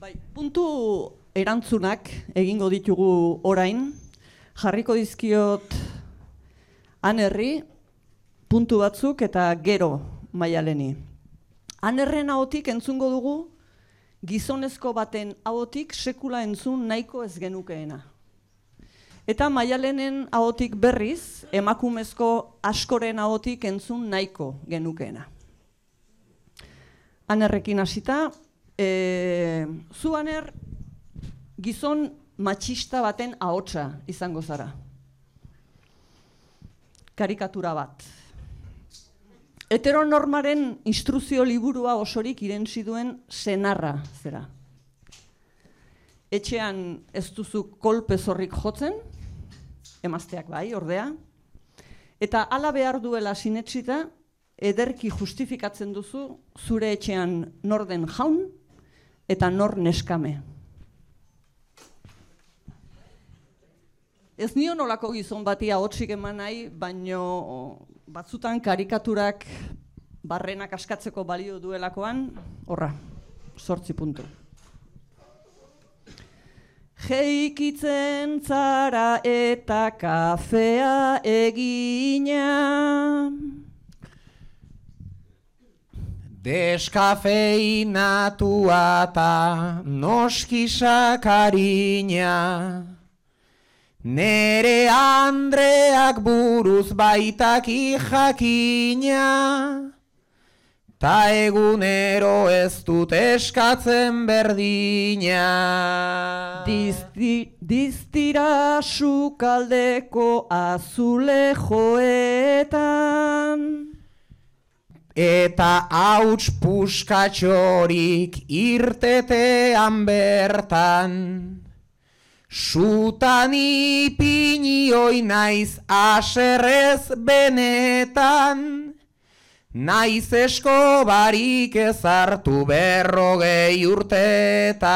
Bai, puntu erantzunak egingo ditugu orain. Jarriko dizkiot Anerri puntu batzuk eta gero Maialeni. Anerren ahotik entzungo dugu gizonezko baten ahotik sekula entzun nahiko ez genukeena. Eta Maialenen ahotik berriz emakumezko askoren ahotik entzun nahiko genukeena. Anerrekin hasita, zu Aner gizon matxista baten ahotsa izango zara. Karikatura bat. Heteronormaren instruzio liburua osorik irentsi duen senarra zera. Etxean ez duzu kolpe zorrik jotzen, emazteak bai, ordea, eta hala behar duela sinetsita, ederki justifikatzen duzu zure etxean nor den jaun eta nor neskame. Ez nion olako gizon bati ahotsik eman nahi, baino batzutan karikaturak barrenak askatzeko balio duelakoan, horra, 8 puntu. Jeikitzen zara eta kafea egina. Deskafeinatua eta noski sakarina. Nere Andreak buruz baitaki jakina, ta egunero ez dut eskatzen berdina. Diztira sukaldeko azulejoetan, eta hauts puskatxorik irtetean bertan. Sutan ipinioi naiz aserrez benetan, naiz eskobarik ez hartu 40 urtetan.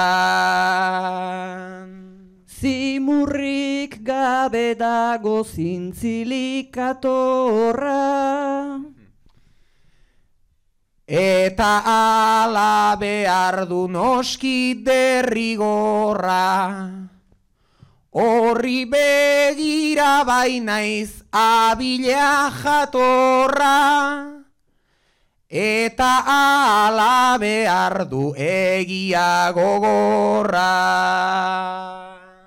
Zimurrik gabe dago zintzilikatorra, eta ala behar du noski derrigorra. Horri begira bainaiz abila jatorra, eta ala behar du egia gogorra.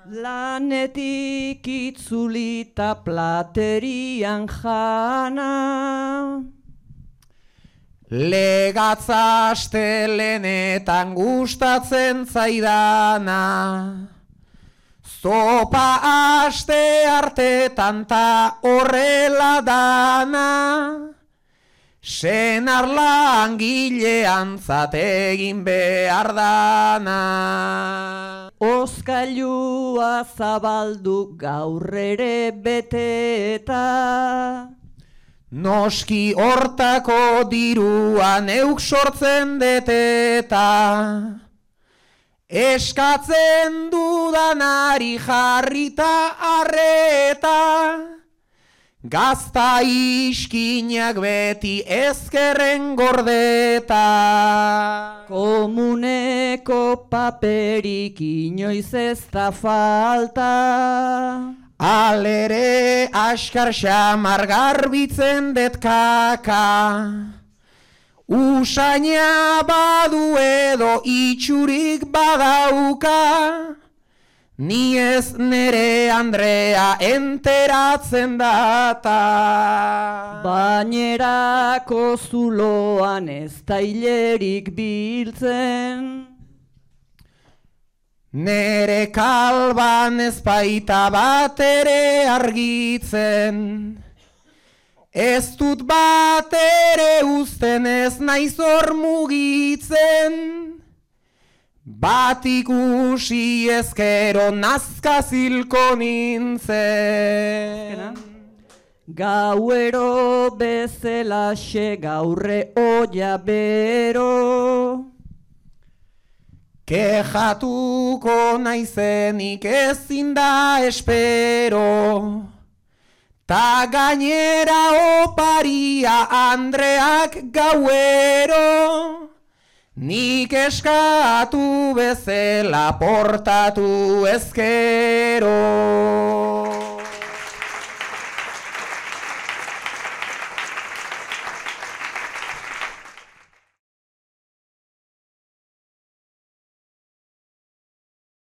Lanetik itzulita platerian jana, legatza astelenetan gustatzen zaidana. Zopa aste artetan ta horrela dana, senar langileantzat egin behar dana. Oskailua zabaldu gaur ere beteta, noski hortako dirua neuk sortzen deteta. Eskatzen dudanari jarrita arreta, gazta iskinak beti ezkerren gordeta. Komuneko paperik inoiz ez da falta, alere askar xamar garbitzen det kaka. Usaina badu edo itxurik badauka, ni ez nere Andrea enteratzen data. Bainerako zuloan ez da hilerik biltzen, nere kalban ez baita bat ere argitzen. Ez dut bat ere uzten ez naiz hor mugitzen, bat ikusi ezkero nazka zilko nintzen. Gauero bezelaxe gaurre oia bero, kejatuko naizenik ezin da espero. Ta gainera oparia Andreak gauero, nik eskatu bezala portatu ezkero.